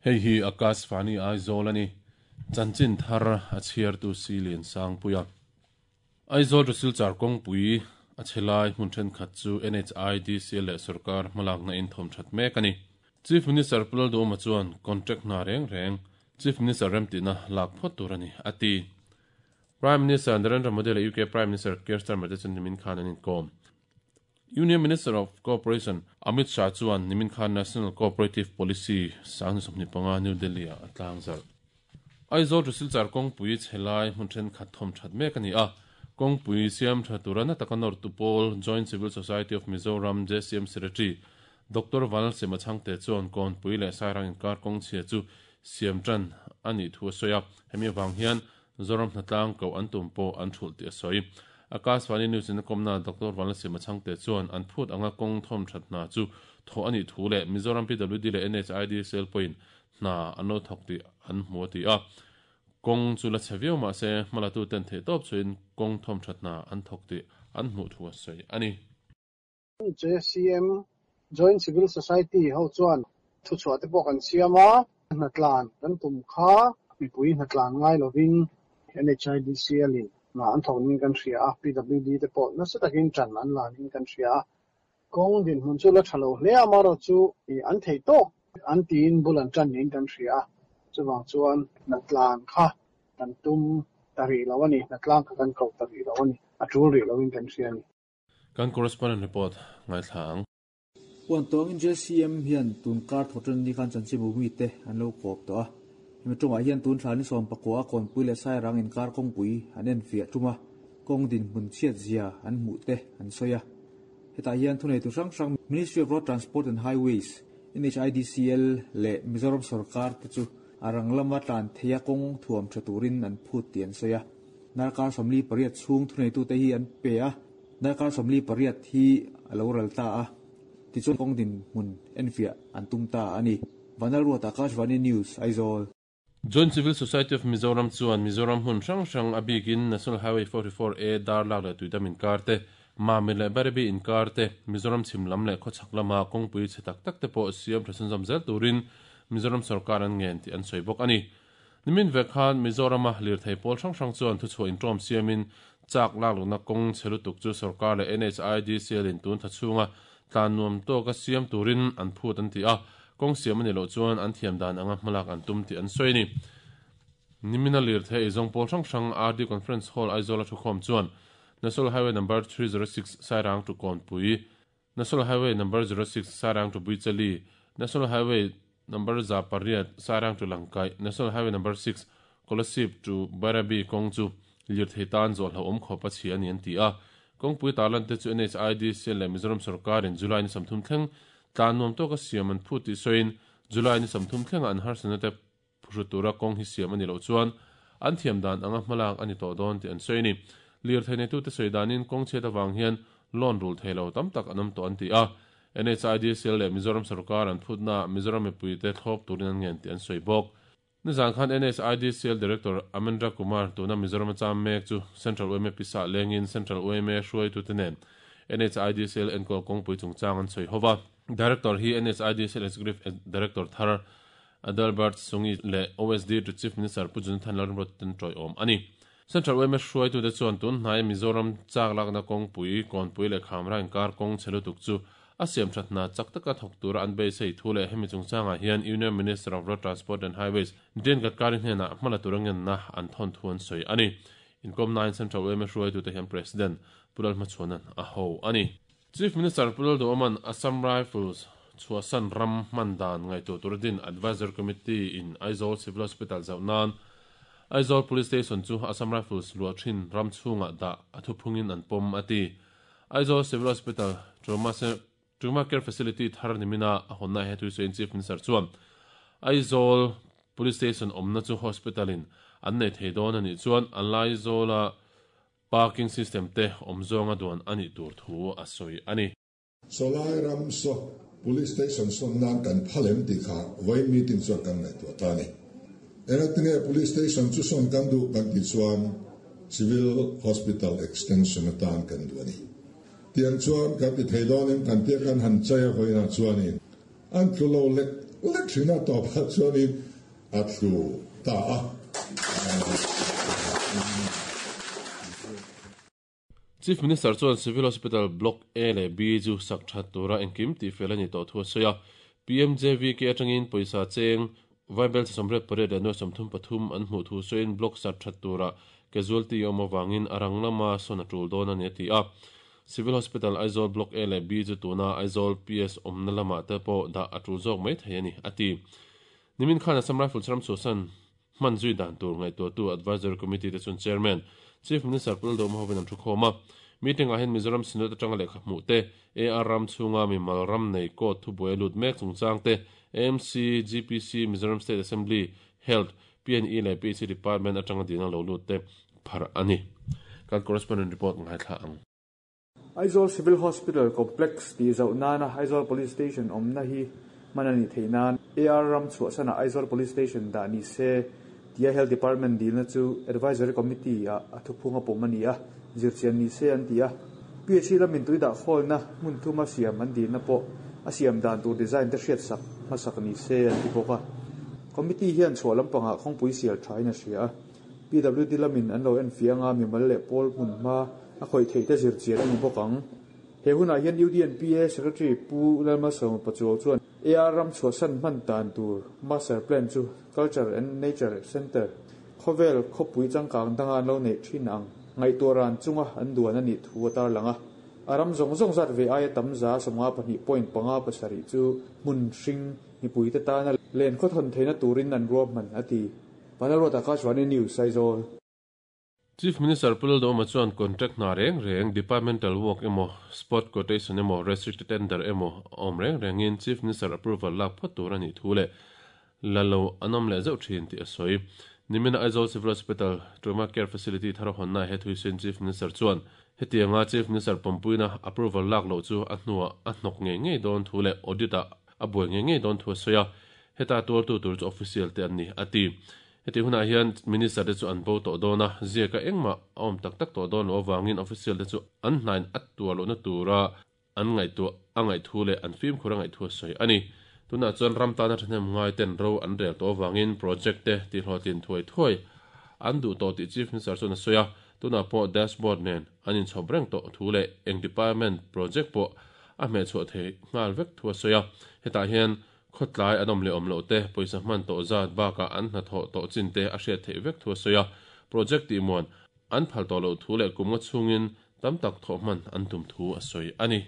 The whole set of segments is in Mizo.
Hei hi Akashvani Aizawl a ni. Chanchin thar a chhiartu si Lian Sangpuia. Aizawl to Silchar kawngpui a chhe lai hmun thenkhat chu NHIDCL leh sorkar hmalakna in thawm that mek a ni. Chief Minister Pu Lalduhoma chuan contract hna reng reng Chief Minister remtihna lak phawt tur a ni, a ti. Prime Minister Narendra Modi leh UK Prime Minister Keir Starmer te chu nimin khan an inkawm. Union Minister of Cooperation Amit Shah chuan nimin khan National Cooperative Policy 2025 New Delhi-ah a tlangzarh. Aizawl to Silchar kawngpui chhe lai hmun thenkhat thawm that mek a ni a, kawngpui siam tha tura na taka nawrtu pawl Joint Civil Society of Mizoram, JCM, Secretary Doctor Vanlalsema Chhangte chuan kawnpui leh Sairang inkar kawng chhia chu siam tan a nih thu a sawi a, hemi avang hian Zoram hnatlang koh an tum pawh an thulh tih a sawi. Akashvani News in a kawmna Doctor Vanlalsema Chhangte chuan an phut anga kawng thawm that hna chu thawh a nih thu leh Mizoram PWD leh NHID cell pawhin hna an lo thawk tih an hmu a ti a. Kawng chu la chhe viau mah se hmalatu ten theihtawp chhuahin kawng thawm that hna an thawk tih an hmuh thu a sawi a ni. JCM, Joint Civil Society, ho chuan thuchhuah te pawh kan siam a, hnatlan kan tum kha mipui hnatlan ngai lovin NHIDCL in hna an thawk ning kan hria a, PWD te pawh nasa takin tan an la ning kan hria a. Kawng dinhmun chu la tha lo hle a, amaherawh chu an theih tawk an tiin bul an tan ning kan hria a, chuvang chuan hnatlan kha kan tum ta rih lo a ni, hnatlang kha kan koh ta rih lo a ni, a tul rih lovin kan hria a ni. Kan correspondent report ngaithla ang. Puan tawngin JCM hian tun kar thawhṭan ni khan chanchinbu mite an lo kawp tawh a. Hemi ṭawngah hian tun thla ni 14 a Kawnpui leh Sairang inkar kawngpui an enfiah ṭum a, kawng dinhmun chhiat zia an hmuh te an sawi a. Hetah hian thuneitu hrang hrang Ministry of Road Transport and Highways, NHIDCL leh Mizoram sawrkar te chu a rang lama tlan theia kawng thuam ṭha turin an phut tih an sawi a. Darkar 48 chhung thuneitute hi an pe a, darkar 48 hi a lo ral ta a, tichuan kawng dinhmun enfiah an tum ta a ni. Vanlalruat Akashvani News, Aizawl. Joint Civil Society of Mizoram chuan Mizoram hmun hrang hrang a bikin National Highway 44 A Darlak leh Tuidam inkar te, Mamit leh Bairabi inkar te, Mizoram chhim lam leh khawchhak lama kawngpui chhe tak tak te pawh siam tha chhunzawm zel turin Mizoram sorkar an ngen tih an sawi bawk a ni. Nimin vek khan Mizorama lirthei pawl hrang hrang chuan thuchhuah inṭawm siamin chak lakluhna kawng chhe lutuk chu sorkar leh NHIDCL in tun tha chhunga tlan nuam tawka siam turin an phut an ti a, kawng siam a nih loh chuan an thiam dan anga hmalak an tum tih an sawi a ni. Nimina lirthei eizawng pawl hrang hrang RD Conference Hall Aizawla thukhawm chuan National Highway Number 306 Sairang to Kawnpui, National Highway Number 06 Sairang to Buichali, National Highway Number 800 Sairang to Langkaih, National Highway Number 6 Kolasib to Bairabi kawng chu lirthei tan zawh hlauhawm khawp a chhia a ni an ti a. Kawngpui tarlan te chu NHIDCL leh Mizoram sorkarin July ni 30 thleng tlan nuam tawka siam an phut tih sawiin July ni 30 thlenga an harsatna te Phuhru tura kawng hi siam a ni loh chuan an thiam dan anga hmalak a ni tawh dawn tih an sawi a ni. Lirthei neitute sawi danin kawng chhiat avang hian loan rul thei lo tam tak an awm tawh an ti a. NHIDCL leh Mizoram sorkar an phutnaah Mizoram mipuite thlawp turin an ngen tih an sawi bawk. Nizan khan NHIDCL Director Amendra Kumar tuna Mizoram a cham mek chu Central yma pisa lengin Central yma hruaitute nen NHIDCL enkawl kawngpui chungchang an sawi ho va. Director hi NHIDCL Executive Director thar Adalbert Sungi leh OSD to Chief Minister Pu Jonathan Lalrimrawt ten tawiawm a ni. Central yma hruaitute chuan tun hnaia Mizoram chak lakna kawngpui, kawnpui leh khamra inkar kawng chhe lutuk chu a siam that hna chak taka thawk tura an beisei thu leh hemi chungchangah hian Union Minister of Road Transport and Highways Nitin Gadkari hnenah hmala tura ngenna an thawn thu an sawi a ni. Inkawmnain Central yma hruaitute hian President Pu Lalhmachhuana'n a ho a ni. Chief Minister Pu Lalduhoma'n Assam Rifles chhuahsan ram hman dan ngaihtuah tura din Advisory Committee in Aizawl Civil Hospital zauh nan Aizawl Police Station chu Assam Rifles luah thin ram chhungah dah a thuphungin an pawm a ti. Aizawl Civil Hospital Trauma Trauma Care Facility thar nimina a hawnna he thusawiin Chief Minister chuan Aizawl Police Station awmna chu Hospital in an nei thei dawn a nih chuan a Laizawla Parking system te awm zawnga duan a nih tur thu a sawi a ni. Sawlai ram saw Police Station sawn nan kan phal em tih kha vawiin meeting chuan kan ngaihtuah ta a ni. Engatinge Police Station chu sawn kan duh kan tih chuan Civil Hospital Extension atan kan duh a ni. Tiang chuan kan ti thei dawn em kan tia kan han chai a vawiinah chuanin. An tlu lo lek lek thin a, tawpah chuanin a tlu ta a. Chief Minister chuan Civil Hospital Block A leh B chu sak that tura engkim tihfel a nih tawh thu a sawi a. PMJVK atangin pawisa cheng Vaibel 88 leh nuai 33 an hmuh thu sawiin Block sak that tura casualty a awm avangin a rang lama sawn a tul dawn a ni a ti a. Civil Hospital Aizawl Block A leh B chu tuna Aizawl PS awmna lamah te pawh dah a tul zawk mai thei a ni a ti. Nimin khan Assam Rifles ram chhuahsan hman zui dan tur ngaihtuahtu Advisory Committee te chuan Chairman, Chief Minister Pu Lalduhoma hovin an thukhawm a. Meeting ah hian Mizoram Synod atanga lehkha hmuh te, AR ram chhunga mimal ram nei court thubuai a lut mek chungchang te, AMC, GPC, Mizoram State Assembly, Health, PNE leh PHC Department atanga dina lo lut te pharh a ni. Kan correspondent report ngaithla ang. Aizawl Civil Hospital Complex tih zauh nana Aizawl Police Station awmna hi hman a nih theih nan AR ram chhuahsanah Aizawl Police Station dah ni se tia Health Department dilna chu Advisory Committee ah a thuphung a pawm a ni a, zirchian ni se an ti a. PHC lamin tui dah khawlna hmun thuma siam an dilna pawh a siam dan tur design te hriatsak hmasak ni se an ti bawk a. Committee hian chhuah lampangah khawngpui sial thain a hria a. PWD lamin an lo enfiah anga mimal leh pawl hmun hma a khawih theih te zir chian a ni bawk ang. He hunah hian UDNPA Secretary Pu Lalmalsawma Pachuau chuan AR ram chhuahsan hman dan tur Master Plan chu Culture and Nature Centre khawvel khawpui changkang danga an lo neih thin ang ngaihtuah ran chunga an duan a nih thu a tarlang a. A ram zawng zawng zat ve aia tam 52.57 chu hmun hring mipuite tana len khawthawn theihna turin an ruahman a ti. Vanlalruat Akashvani News, Aizawl. Chief Minister Pu Lalduhoma chuan contract hna reng reng, departmental work emaw, spot quotation emaw, restricted tender emaw a awm reng rengin Chief Minister approval lak phawt tur a nih thu leh la lo an awm leh zeuh thin tih a sawi. Nimina Aizawl Civil Hospital Trauma Care Facility thar a hawnna he thuisin Chief Minister chuan hetianga Chief Minister pawmpuina approval lak loh chu a hnuah a hnawk ngei ngei dawn thu leh audit ah a buai ngei ngei dawn thu a sawi a, heta tuartu tur chu official te an ni, a ti. Heti hunah hian Minister te chu an bo tawh dawn a, ziaka engmah a awm tak tak tawh dawn loh avangin official te chu an hnain a tuar lohna tura an ngaihtuah a ngaih thu leh an fimkhur a ngaih thu a sawi a ni. Tunah chuan ram tana thahnem ngai ten ro an rel tawh avangin project te tihhlawhtlin thuai thuai an duh tawh tih Chief Minister chuan a sawi a, tunah pawh dashboard nen an inchhawp reng tawh thu leh eng department project pawh a hmehchhuah thei nghal vek thu a sawi a, hetah hian khawtlai an awm leh awm loh te, pawisa hman tawh zat bakah an hnathawh tawh chin te a hriat theih vek thu a sawi a, project tihmuan an phal tawh loh thu leh kum nga chhungin tam tak thawh hman an tum thu a sawi a ni.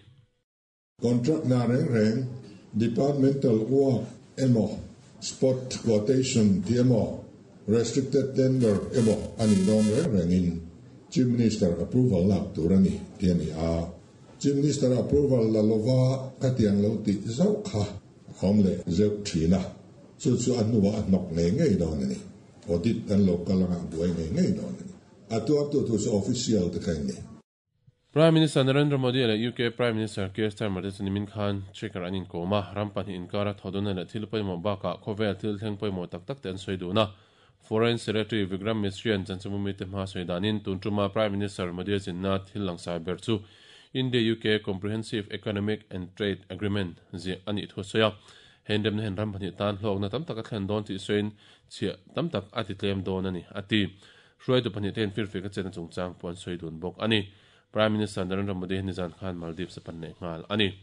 Contract na reng reng, departmental work emaw, spot quotation tih emaw, restricted tender emaw a nih dawn reng rengin Chief Minister approval lak tur a ni tih a ni a. Chief Minister approval la lova khatiang lo tih zauh kha a awm leh zeuh thin a, chu chu a hnuah a hnawk ngei ngei dawn a ni. Audit an lo kal anga a buai ngei ngei dawn a ni. A tuartu thu chu official te kha in ni. Prime Minister Narendra Modi leh UK Prime Minister Keir Starmer te chu nimin khan Chequer an inkawm a, ram pahnih inkara thawhdawna leh thil pawimawh bakah khawvel thil thleng pawimawh tak tak te an sawi dun a. Foreign Secretary Vikram Misri-a'n chanchinbumite hma sawi danin tun tuma Prime Minister Modi-a zinna thil langsai ber chu India-UK Comprehensive Economic and Trade Agreement ziah a nih thu a sawi a. He inremna hian ram pahnih tan hlawkna tam tak a thlen dawn tih sawiin chhiah tam tak a ti tlem dawn a ni, a ti. Hruaitu pahnih te hian firfik a chetna chungchang pawh an sawi dun bawk a ni. Prime Minister Narendra Modi hian nizan khan Maldives a pan leh nghal a ni.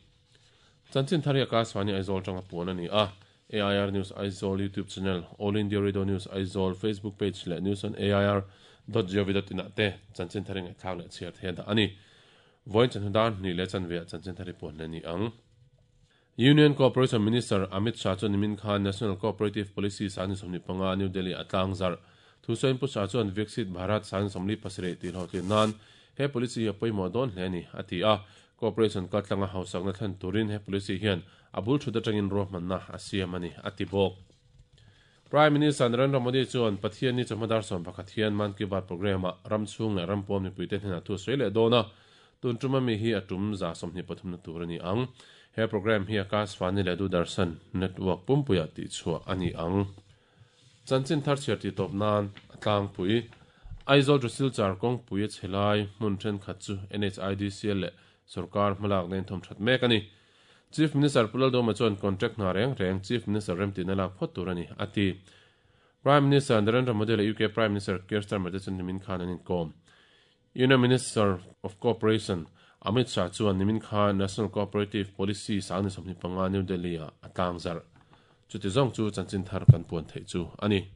Chanchin thar hi Akashvani Aizawl tanga puan a ni a. AIR News Aizawl YouTube Channel, All India Radio News Aizawl Facebook Page leh News on AIR dot gov dot in ah te chanchin thar i ngaihthlak leh chhiar thei a dah a ni. Vawiin chanhnu dar hnih leh chanve ah chanchin thar i puan leh ni ang. Union Cooperation Minister Amit Shah chuan nimin khan National Cooperative Policy 2025 New Delhi a tlangzarh. Thusawiin Pu Shah chuan Viksit Bharat 2047 tih hlawhtlin nan he policy hi a pawimawh dawn hle a ni, a ti a. Cooperation kaltlanga hausakna thlen turin he policy hian A bul thut atangin ruahmanna a siam a ni, a ti bawk. Prime Minister Narendra Modi chuan Pathianni chawhma dar 11 hian Mann Ki Baat programme-ah ram chhung leh ram pawn mipuite hnenah thu a sawi leh dawn a, tun tuma mi hi a tum 23 na tur a ni ang. He programme hi Akashvani leh Doordarshan network pumpuiah tihchhuah a ni ang. Chanchin thar chhiar tih tawp nan a tlangpui. Aizawl to Silchar kawngpui a chhe lai hmun thenkhat chu NHIDCL leh sawrkar hmalakna in thawm that mek a ni. Chief Minister Pu Lalduhoma chuan contract hna reng reng Chief Minister remtihna lak phawt tur a ni, a ti. Prime Minister Narendra Modi leh UK Prime Minister Keir Starmer te chu nimin khan an inkawm. Union Minister of Cooperation Amit Shah chuan nimin khan National Cooperative Policy 2025 New Delhi-ah a tlangzarh. Chuti zawng chu chanchin thar kan puan theih chu a ni.